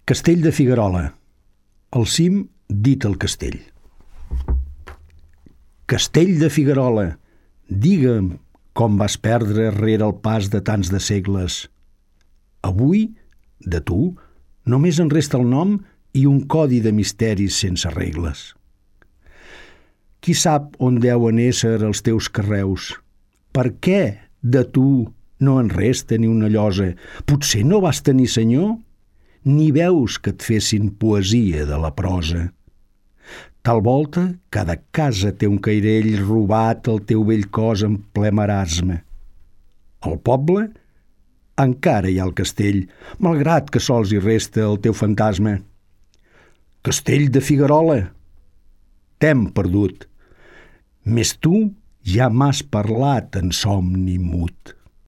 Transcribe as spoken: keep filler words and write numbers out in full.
Castell de Figuerola, al cim dit el castell. Castell de Figuerola, digue'm com vas perdre rere el pas de tants de segles. Avui, de tu, només en resta el nom i un codi de misteris sense regles. Qui sap on deuen ésser els teus carreus? Per què de tu no en resta ni una llosa? Potser no vas tenir senyor? Ni veus que et fessin poesia de la prosa. Tal volta, cada casa té un cairell robat al teu vell cos en ple marasme. Al poble encara hi ha el castell, malgrat que sols hi resta el teu fantasma. Castell de Figuerola, t'hem perdut, més tu ja m'has parlat en somni mut.